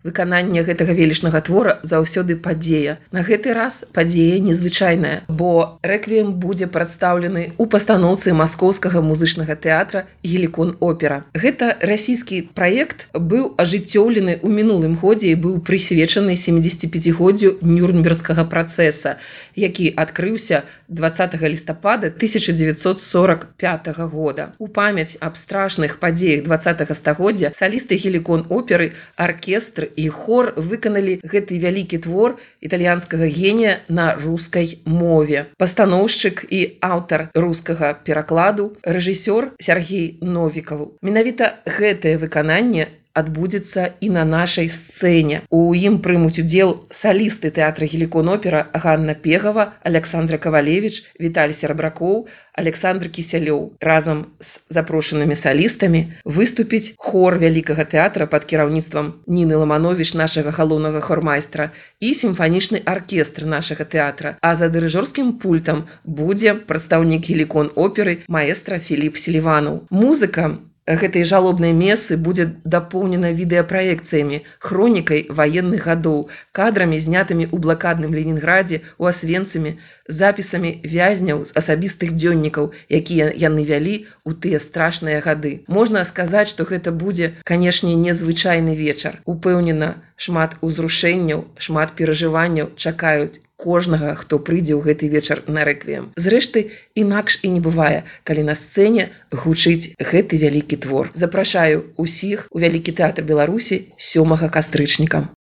Выкананне гэтага велічнага твора заўсёды падзея. На гэты раз падзея незвычайная, бо рэквіем будзе прадстаўлены ў пастаноўцы маскоўскага музычнага тэатра «Гелікон опера». Гэта расійскі праект быў ажыццёўлены ў мінулым годзе і быў прысвечаны 75-годдзю Нюрнбергскага працэса, які адкрыўся 20 лістапада 1945 года. У памяць аб страшных падзеях 20-го стагоддзя салісты «Гелікон оперы», аркестр і хор выканалі гэты вялікі твор італьянскага генія на рускай мове. Пастаноўшчык і аўтар рускага перакладу, рэжысёр Сергей Новікаў. Менавіта гэтае выкананне адбудзецца і на нашай сцэне. У ім прымуць удзел салісты тэатра «Гелікон опера» Ганна Пегава, Александра Кавалевіч, Віталій Серабракоў, Александр Кісялёў. Разам з запрошанымі салістамі выступіць хор вялікага тэатра пад кіраўніцтвам Ніны Ламановіч, нашага галоўнага хормайстра, і сімфанічны аркестр нашага тэатра. А за дырыжорскім пультам будзе прадстаўнік «Гелікон оперы» маэстра Філіп Селіванаў. Музыка гэтай жалобнай месы будзе дапоўнена відэапраекцыямі, хронікай ваенных гадоў, кадрамі, знятымі ў блакадным Ленінградзе, у Асвенцыме, запісамі вязняў з асабістых дзённікаў, якія яны вялі ў тыя страшныя гады. Можна сказаць, што гэта будзе, канешне, незвычайны вечар. Упэўнена, шмат узрушэнняў, шмат перажыванняў чакаюць кожнага, хто прыйдзе ў гэты вечар на рэквіем. Зрэшты, інакш і не бывае, калі на сцэне гучыць гэты вялікі твор. Запрашаю ўсіх у Вялікі тэатр Беларусі 7 кастрычніка.